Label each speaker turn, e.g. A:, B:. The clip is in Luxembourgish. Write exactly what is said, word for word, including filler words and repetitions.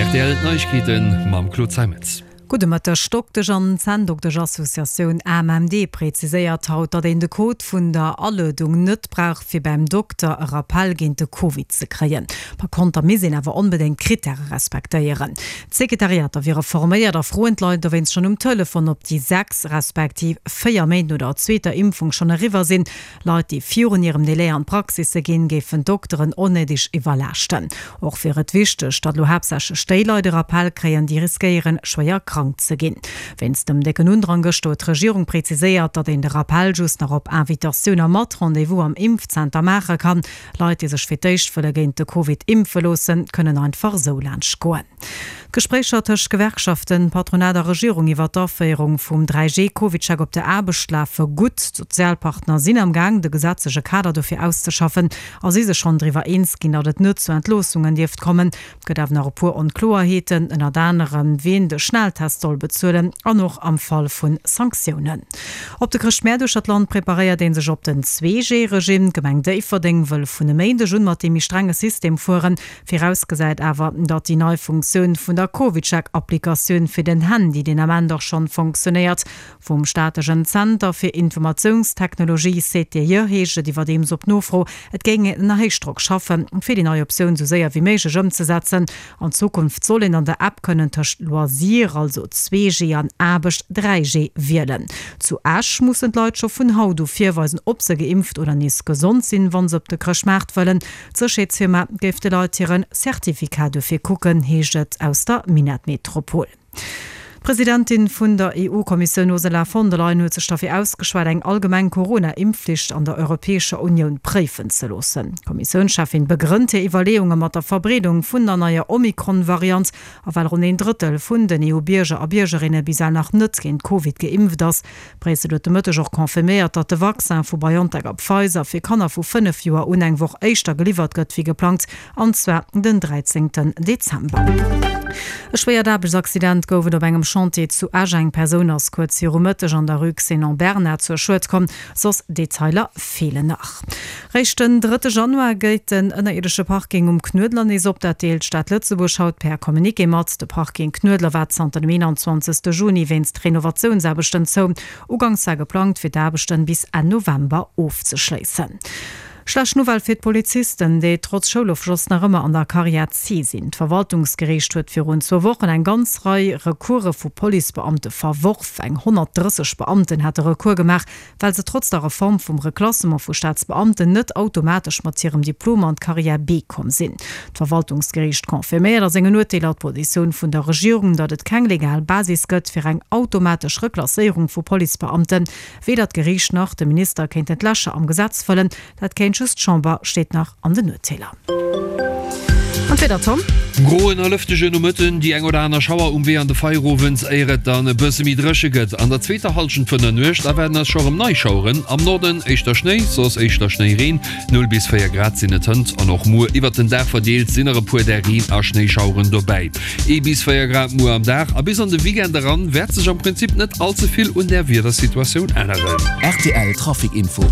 A: Rtl Neiegkeeten mam Claude Zeimetz.
B: Gudde Mëtteg. D'Doktesch an Zänndoktesch-Associatioun AMMD preziséiert haut, datt een de Code vun der Aluedung net brauch, fir beim Dokter e Rappell géint de Covid ze kréien. Par konter misst een awer onbedéngt d'Krittäre respektéieren. D'Sekretariater wiere forméiert a froen d'Leit dowéinst schonn um Telefon, ob déi sechs respektiv véier Méint no der zweeter Impfung schonn eriwwer sinn. Leit, déi virun hirem Delai an d'Praxisse ginn, géifen d'Dokteren onnéideg iwwerlaaschten. Och wier et wichteg, datt elo haaptsächlech déi Leit e Rappell kréien, déi riskéieren, schwéier krank ze ginn. Wéinst dem décken Undrang gëschter huet d'Regierung preziséiert, datt een de Rappell just nach op Invitatioun a mat Rendez-vous am Impfzenter maache kann. Leit, déi sech fir d'éischt wëlle géint de Covid impfe loossen, kënnen einfach esou laanscht goen. D'Gespréicher tëscht Gewerkschaften, Patronat a Regierung iwwer d'Aféierung vum dräi G Covidcheck op der Aarbecht lafe gutt. D'Sozialpartner sinn am Gaang, de gesetzleche Kader dofir auszeschaffen a si sech schonn driwwer eens ginn, datt et net zu Entloossungen dierft kommen. Et gëtt awer nach e puer Onkloerheeten, ënnert anerem wien de Schnelltest soll bezuelen an och am Fall vu Sanktiounen. Op de Chrëschtmäert uechter d'Land preparéiert ee sech op den Zwee G-Regime. D'Gemeng Déifferdeng wëll vun e Méindeg un mat deem méi strenge System fueren. Virausgesäit awer, datt déi nei Funktioun vun der CovidCheck-Applikatioun fir den Handy deen Ament och schonn funktionéiert. Vum staatlechen Zenter fir Informatiounstechnologie, C T I, heescht et iwwerdeems op Nofro, et géing een ënner Héichdrock schaffen, fir déi nei Optioun sou séier wéi méiglech ëmzesetzen. An Zukunft soll een an der App kënnen tëscht Loisir, also zwee G, an Aarbecht, dräi G, wielen. Zu Esch mussen d'Leit scho vun haut u virweisen, ob se geimpft oder nees gesond sinn, wa se op de Chrëschtmaart wëllen. D'Sécherheetsfirma géif de Leit hire Certificat dofir kucken, heescht et aus der Minettmetropol. D'Presidentin vun der E U-Kommissioun Ursula von der Leyen huet sech derfir ausgeschwat, eng allgemeng Corona-Impfflicht an der Europäescher Unioun préifen ze loossen. D'Kommissiounscheffin begrënnt hir Iwwerleeunge mat der Verbreedung vun der neier Omikron-Variant a well ronn een Drëttel vun den E U-Bierger a Biergerinne bis ewell nach net géint Covid geimpft ass. Bréissel huet de Mëtteg och confirméiert, datt de Vaccin vu BioNTech a Pfizer fir Kanner vu fënnef Joer un eng Woch éischter geliwwert gëtt wéi geplangt, an zwar den dräizéngten Dezember. E schwéiert Aarbechtsaccident gouf et op engem Chantier zu Esch. Eng Persoun ass kuerz viru Mëtteg an der Rue Xénon Bernard zu Schued komm. Soss Detailer feelen nach. Réischt den drëtte Januar geet den ënnerierdesche Parking um Knuedler nees op. Dat deelt d'Stad Lëtzebuerg haut per Communiqué mat. De Parking Knuedler war zanter dem eenanzwanzegste Juni wéinst Renovatiounsaarbechten zou. Uganks war geplangt, fir d'Aarbechten bis Enn November ofzeschléissen. Schlecht Nouvelle fir d'Polizisten, déi trotz Schoulofschloss nach ëmmer an der Carrière C sinn. D'Verwaltungsgeriicht huet virun zwou Wochen eng ganz Rei Recourse vu Policebeamte verworf. Eng honnertdrësseg Beamten hate Recours gemaach, well se trotz der Reform vum Reklassement vu Staatsbeamten net automatesch mat hirem Diplom an d'Carrière B komm sinn. D'Verwaltungsgeriicht confirméiert a sengen Urteeler d'Positioun vun der Regierung, datt et keng legal Basis gëtt fir eng automatesch Reklasséierung vu Policebeamten. Weder d'Geriicht nach de Minister kéinten d'Lächer am Gesetz fëllen, dat kéint just d'Chamber, steet nach an den Urteeler. An d'Wieder, Tom?
A: Groen a lëftegen Nomëtten, déi eng oder aner Schauer um Wee an de Feierowend, éier et dann e bësse méi dréche gëtt. An der zweeter Hallschent vun der Nuecht erwaarden eis scho rëm nei Schaueren, am Norden éischter Schnéi, soss éischter Schnéireen. Null bis véier Grad sinn et hënt an och muer. Iwwert den Dag verdeelt sinn nach e puer där Reen a Schnéischaueren dobäi. Ee bis véier Grad muer am Dag a bis an de Weekend eran wäert sech am Prinzip net all ze vill un der Wiedersituatioun änneren.
C: Rtl Trafic Info.
A: Mir